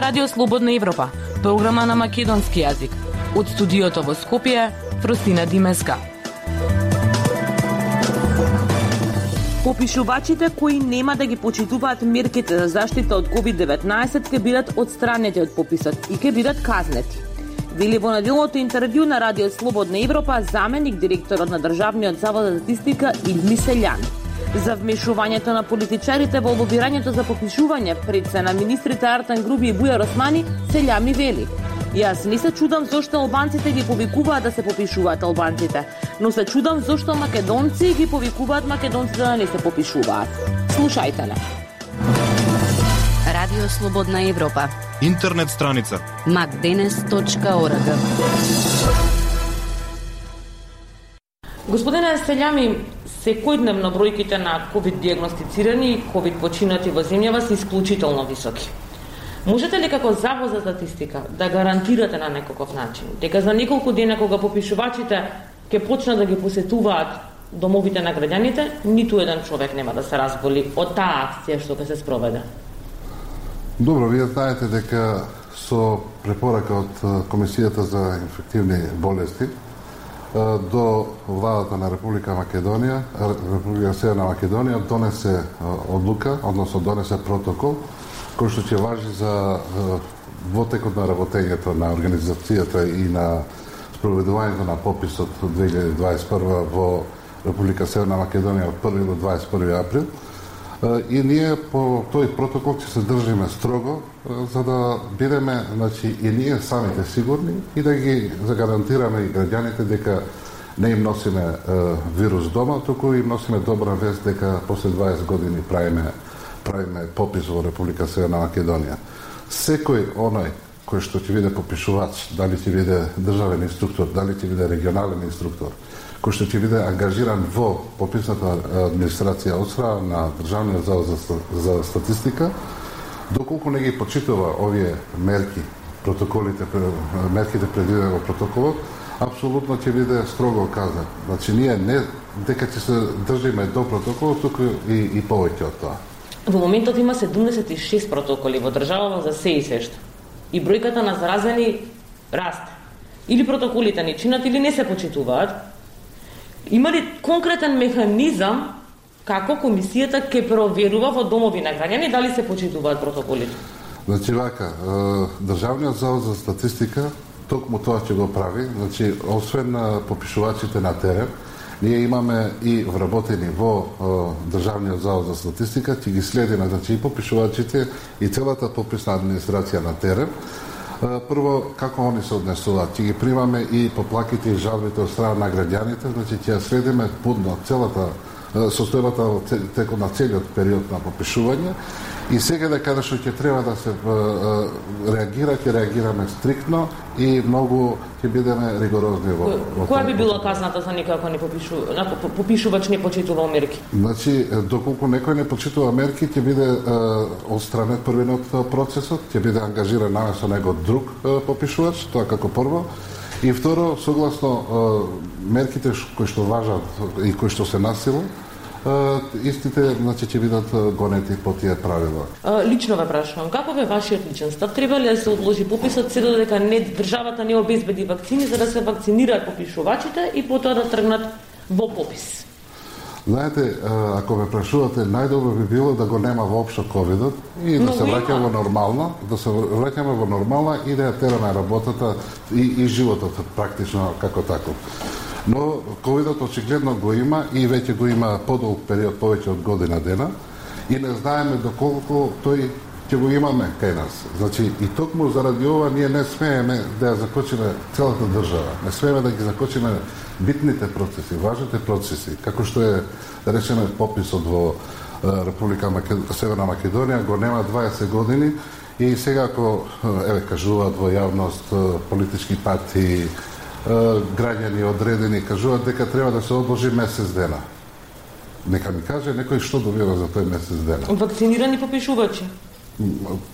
Радио Слободна Европа, програма на македонски јазик. Од студиото во Скопје, Фростина Димеска. Попишувачите кои нема да ги почитуваат мерките за заштита од COVID-19 ќе бидат отстранети од пописот и ќе бидат казнети. Вели во неделното интервју на Радио Слободна Европа заменик директорот на Државниот завод за статистика Илми Селјани. За вмешувањето на политичарите во лобирањето за попишување пред се на министрите Артан Груби и Бујар Османи, Селјани вели: "Јас не се чудам зошто албанците ги повикуваат да се попишуваат албанците, но се чудам зошто македонци ги повикуваат македонците да не се попишуваат." Слушајте на Радио Слободна Европа. Интернет страница macdenes.org. Господине Селјани, секојдневно бројките на ковид диагностицирани и ковид починати во земјава се исклучително високи. Можете ли како Завод за статистика да гарантирате на некаков начин дека за неколку дена кога попишувачите ќе почнат да ги посетуваат домовите на граѓаните, ниту еден човек нема да се разболи од таа акција што ќе се спроведе? Добро, вие знаете дека со препорака од Комисијата за инфективни болести до владата на Република Македонија, Република Северна Македонија донесе одлука, односно донесе протокол кој што ќе важи за во текот на работењето на организацијата и на спроведувањето на пописот 2021 во Република Северна Македонија од 1 до 21 април. И ние по тој протокол ќе се држиме строго за да бидеме, значи, и ние самите сигурни и да ги загарантираме и граѓаните дека не им носиме вирус дома, туку им носиме добра вест дека после 20 години правиме попис во Република Северна Македонија. Секој оној кој што ќе биде попишувач, дали ќе биде државен инструктор, дали ќе биде регионален инструктор, кој што ќе биде ангажиран во пописната администрација од страна на Државниот завод за статистика, доколку не ги почитува овие мерки, мерките предвидени во протоколот, апсолутно ќе биде строго казан. Значи ние не дека ќе се држиме до протоколот, туку и повеќе од тоа. Во моментот има 76 протоколи во државава за се и сешто. И бројката на заразени расте. Или протоколите не чинат, или не се почитуваат. Има ли конкретен механизам како комисијата ќе проверува во домови на граѓани дали се почитуваат протоколите? Значи вака, Државниот завод за статистика токму тоа ќе го прави. Значи, освен на попишувачите на терен, ние имаме и вработени во Државниот завод за статистика, ќе ги следиме, значи, и попишувачите и целата пописна администрација на терен. Прво, како они се однесуваат, ќе ги примаме и поплаките и жалбите од страна на граѓаните, значи ќе следиме будно целата состојбата текот на целиот период на попишување и сега каде што ќе треба да се реагира, ќе реагираме стриктно и многу ќе бидеме ригорозни во Која би била казната за некој ако попишувач не почитува мерки? Значи, доколку некој не почитува мерки, ќе биде отстранет првиот од процесот, ќе биде ангажиран наместо него друг попишувач, тоа како прво. И второ, согласно мерките кои што важат и кои што се насилу, истите, значи, ќе бидат гонети по тие правила. Лично ве прашувам, како бе вашиот личен став? Треба ли да се одложи пописот се додека државата не обезбеди вакцини за да се вакцинираат попишувачите и потоа да тргнат во попис? Знаете, ако ме прашувате, најдобро би било да го нема воопшто ковидот и да се враќаме во нормална, и да ја тераме работата и животот практично како таков. Но ковидот очигледно го има и веќе го има подолг период, повеќе од година дена и не знаеме доколку тој ќе го имаме кај нас. Значи, и токму заради ова ние не смееме да ја закочиме целата држава. Не смееме да ги закочиме битните процеси, важните процеси, како што е, да речеме, пописот во Република Северна Македонија, го нема 20 години и сега ако, кажуваат во јавност политички партии, граѓани одредени, кажуваат дека треба да се одложи месец дена. Нека ми каже некој што добива за тој месец дена. Вакцинирани попишувачи?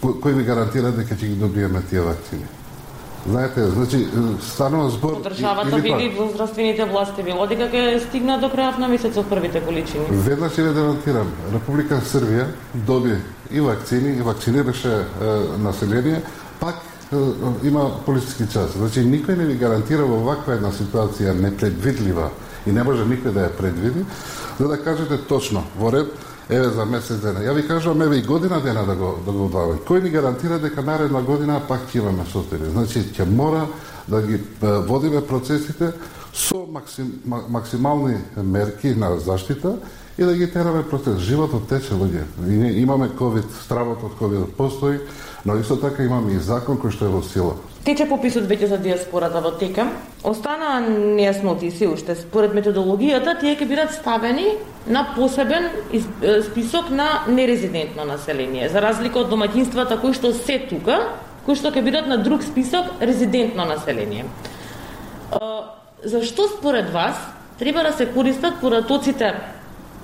Кој ви гарантира дека ќе ги добиеме тие вакцини? Знаете, значи, станува збор... Државата вели во здравствените власти било дека ќе стигна до крајот на месецот првите количини. Веднаш ќе ве демонтирам. Република Србија доби и вакцини, и вакцинираше население пак има политички час. Значи, никој не ви гарантира во ваква една ситуација непредвидлива и не може никој да ја предвиди, за да кажете точно, во ред, еве за месец дена. Ја ви кажувам, еве и година дена да го одваѓаме. Кој ни гарантира дека наредна година пак ќе имаме состојби? Значи, ќе мора да ги водиме процесите со максимални мерки на заштита и да ги тераме процес. Животот тече, луѓе. Имаме ковид, стравот од ковид постои, но исто така имаме и закон кој што е во сила. Тече пописот веќе за диаспората во тека. Останаа нејасноти се уште. Според методологијата, тие ќе бидат ставени на посебен список на нерезидентно население, за разлика од домаќинствата кои што се тука, кои што ќе бидат на друг список резидентно население. Зашто според вас треба да се користат податоците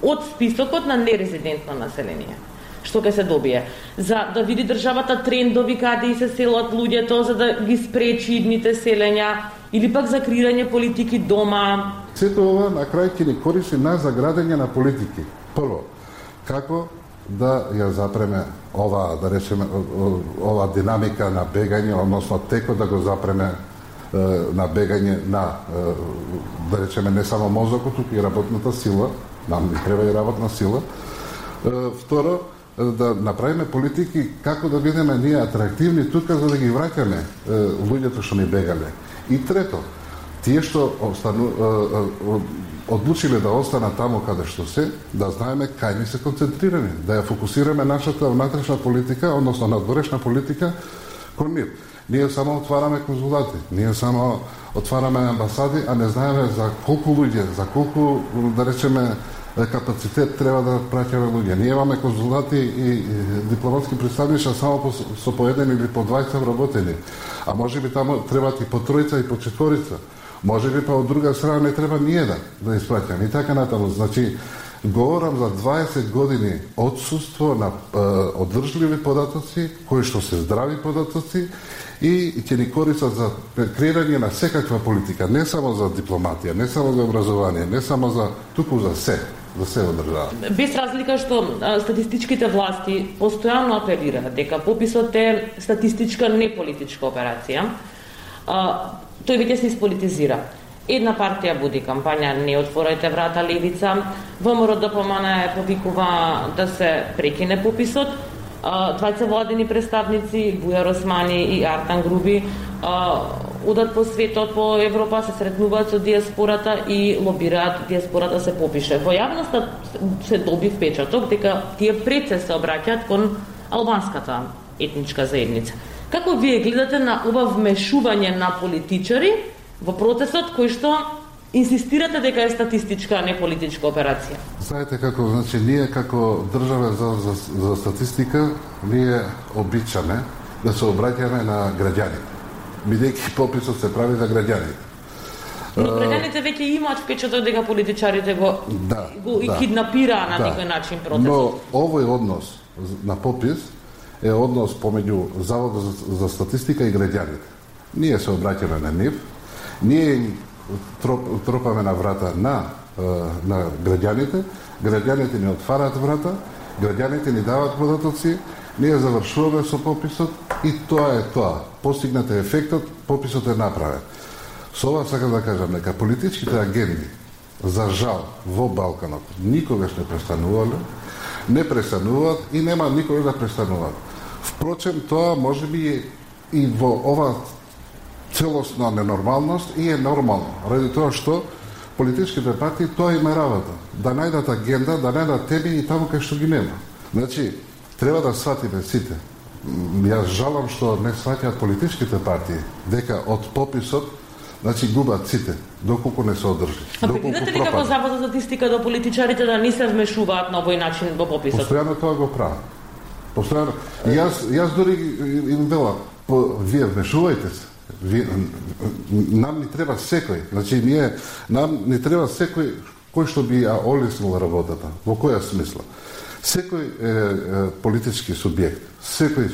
од списокот на нерезидентно население? Што ќе се добие? За да види државата трендови каде и се селат луѓето, за да ги спречи идните селења, или пак за креирање политики дома? Сето ова на крај ќе ни користи на заградење на политики. Прво, како да ја запреме ова, да речеме, ова динамика на бегање, односно текот да го запреме на бегање на, да речеме, не само мозокот, туку и работната сила, нам ни треба и работна сила. Второ, да направиме политики како да бидеме ние атрактивни тука за да ги враќаме луѓето што ни бегале. И трето, тие што одлучиле да останат таму каде што се, да знаеме кај ни се концентрирани, да ја фокусираме нашата внатрешна политика, односно надворешна политика кон нив. Ние само отвараме конзулати, ние само отвараме амбасади, а не знаеме за колку луѓе, за колку, да речеме, капацитет треба да праќаме луѓе. Ние имаме конзулати и дипломатски представништа само со по еден или по 20 работени, а може би таму требаат и по тројца и по четворица. Може би па од друга страна не треба ни еден да испраќаме и така натаму. Значи, говорам за 20 години отсуство на одржливи податоци, кои што се здрави податоци и ќе ни користат за креирање на секаква политика, не само за дипломатија, не само за образование, не само за туку за се во држава. Без разлика што статистичките власти постојано апелираат дека пописот е статистичка, не политичка операција, тој веќе се исполитизира. Една партија буди кампања "Не отворајте врата левица", ВМРО ДПМН повикува да се прекине пописот. Двајца владени представници, Бујар Османи и Артан Груби, одат по светот, по Европа, се сретнуваат со диаспората и лобираат диаспората се попише. Во јавноста се доби впечаток дека тие пред се обраќаат кон албанската етничка заедница. Како вие гледате на ова вмешување на политичари во процесот кој што инсистирате дека е статистичка, а не политичка операција? Знаете како, значи, ние како држава за статистика, ние обичаме да се обраќаме на граѓаните, бидејќи пописот се прави за граѓаните. Но граѓаните веќе имаат впечаток дека политичарите го киднапираа на некој начин процесот. Но овој однос на попис е однос помеѓу Заводот за статистика и граѓаните. Ние се обраќаме на нив, ние тропаме на врата на граѓаните, граѓаните ни отвараат врата, граѓаните ни даваат податоци, ние завршуваме со пописот и тоа е тоа. Постигнат е ефектот, пописот е направен. Со ова сакам да кажам дека политичките агенти, за жал, во Балканот никогаш не престанувале, не престануваат и нема никогаш да престануваат. Впрочем, тоа може би и во ова целосна ненормалност и е нормално, ради тоа што политичките партии тоа има работа, да најдат агенда, да најдат теми и таму кај што ги нема. Значи, треба да сватиме сите. Јас жалам што не сваќаат политичките партии дека од пописот, значи, губат сите, доколку не се одржи. А предвидете ли како Завод за статистика до политичарите да не се вмешуваат на овој начин во пописот? Постојано тоа го прават. Постојано. Јас дори им велам, вие вмешувајте се. Нам ни треба секој, значи нам ни треба секој кој што би ја олеснил работата. Во која смисла? Секој политички субјект, секој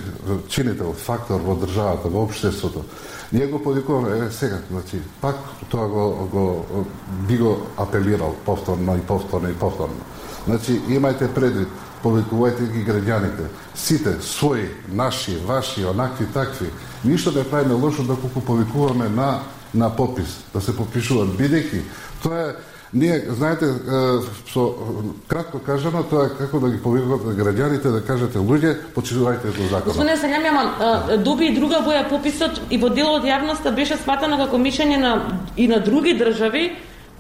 чинител, фактор во државата, во општеството, ние го повикуваме сега, значи, пак тоа би го апелирал повторно и повторно и повторно. Значи, имајте предвид, повикувајте ги граѓаните. Сите, своји, наши, ваши, онакви, такви. Ништо не правиме лошо доколку повикуваме на попис, да се попишуваат, бидејќи тоа е, ние, знаете, со кратко кажано, тоа е како да ги повикувате граѓаните, да кажете луѓе, почитувајте до законот. Господине Сањамјама, доби и друга боја пописот и во дел од јавноста беше сватено како мишење и на други држави,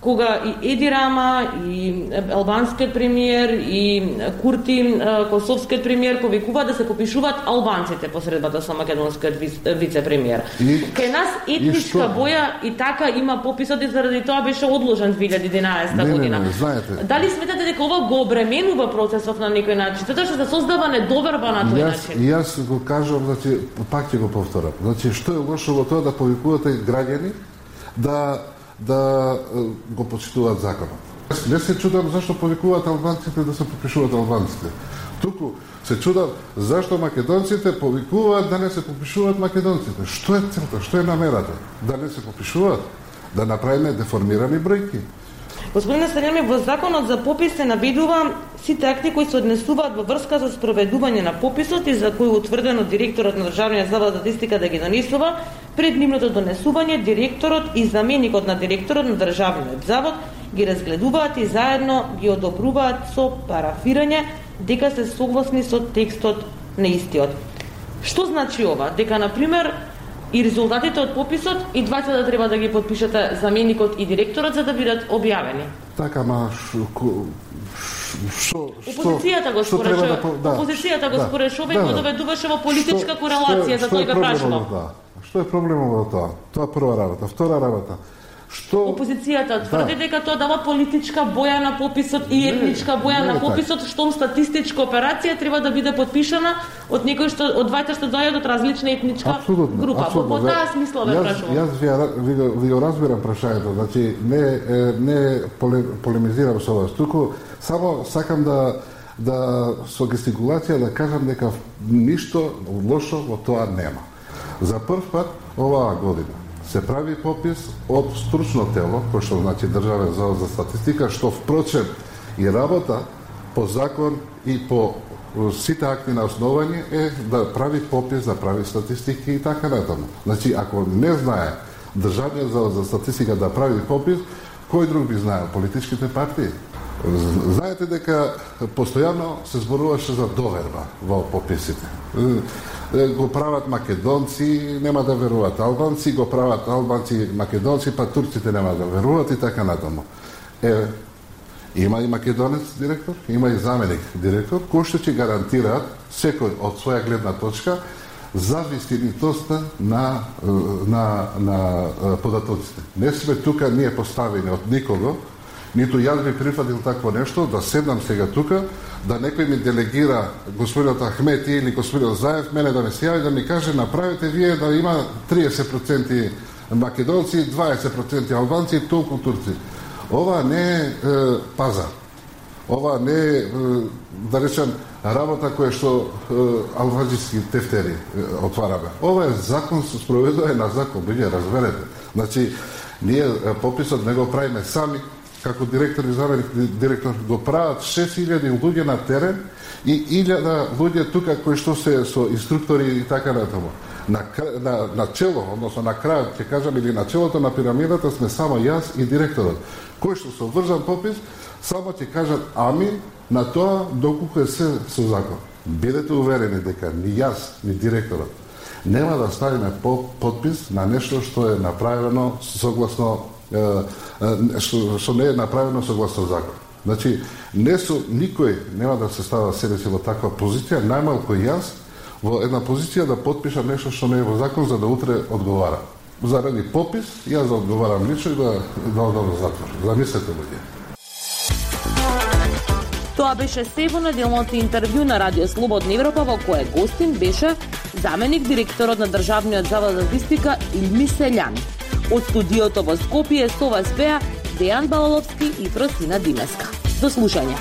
кога и Еди Рама, и албанскиот премиер, и Курти, косовскиот премиер, повикуваат да се попишуваат албанците по средбата со македонскиот вице-премиер. Кај нас етничка боја и така има пописот и заради тоа беше одложен 2011 година. Не, знаете. Дали сметате дека ова го обременува процесот на некој начин? Затоа што се создава недоверба на тој начин. Јас го кажам, значи, пак ќе го повторам. Значи, што е лошо во тоа да повикувате граѓани да го почитуваат законот. Не се чудам зашто повикуваат албанците да се попишуваат албанците. Туку се чудам зашто македонците повикуваат да не се попишуваат македонците. Што е целта, што е намерата? Да не се попишуваат, да направиме деформирани бројки. Господине Сањамјев, во законот за попис се наведува сите акти кои се однесуваат во врска со спроведување на пописот и за кои утврдено директорот на Државниот завод за статистика да ги донесува. Пред нивното донесување, директорот и заменикот на директорот на Државниот завод ги разгледуваат и заедно ги одобруваат со парафирање дека се согласни со текстот на истиот. Што значи ова? Дека, например, и резултатите од пописот и двајца да треба да ги подпишете заменикот и директорот за да бидат објавени. Така, ма опозицијата го споречува. Опозицијата го споречува и го доведуваше во политичка корелација, за тоа го прашувам. Што е проблемот во тоа? Тоа прва работа. Втора работа. Опозицијата тврди дека тоа дава политичка боја на пописот и етничка боја на пописот, што статистичка операција треба да биде подпишана од некој што од двајта што доаѓаат од различна етничка група. Во таа смисла ве прашувам. Јас ви го разбирам прашањето, значи не полемизирам со вас, туку само сакам да со гестикулација да кажам дека ништо лошо во тоа нема. За прв пат оваа година се прави попис од стручно тело, кој што значи Државен завод за статистика, што впрочем и работа по закон и по сите акти на основање е да прави попис, да прави статистики и така натаму. Значи, ако не знае Државниот завод за статистика да прави попис, кој друг би знаел? Политичките партии. Знаете дека постојано се зборуваше за доверба во пописите. Го прават македонци, нема да веруваат албанци, го прават албанци, македонци, па турците нема да веруваат и така натаму. Има и македонец директор, има и заменик директор, кои што ќе гарантираат секој од своја гледна точка за вистинитоста на податоците. Не сме тука ние поставени од никого, ниту јас би прифатил такво нешто, да седнам сега тука, да некој ми делегира господинот Ахмети или господинот Заев, мене да ме се јави да ми каже направете вие да има 30% македонци, 20% албанци и толку турци. Ова не е пазар. Ова не е, да речем, работа која што албански тефтери отвараме. Ова е закон со спроведување на закон, вие разберете. Значи, ние пописот не го правиме сами, како директор и заменик директор го прават 6000 луѓе на терен и 1000 луѓе тука кои што се со инструктори и така натаму. На чело, односно на крајот, ќе кажам, или на челото на пирамидата сме само јас и директорот. Кој што се обврзан попис, само ќе кажат амин на тоа доколку е се со закон. Бидете уверени дека ни јас, ни директорот нема да ставиме подпис на нешто што е направено согласно што не е направено согласно закон. Значи, никој нема да се става себе си во таква позиција, најмалку јас во една позиција да подпишам нешто што не е во закон за да утре одговарам. Заради попис, јас да одговарам лично и да одам во затвор. Замислете луѓе. Тоа беше се во неделното интервју на Радио Слободна Европа, во кое гостин беше заменик директорот на Државниот завод за статистика Илми Селјан. Од студиото во Скопје со вас беа Дејан Балаловски и Фросина Димеска. До слушање.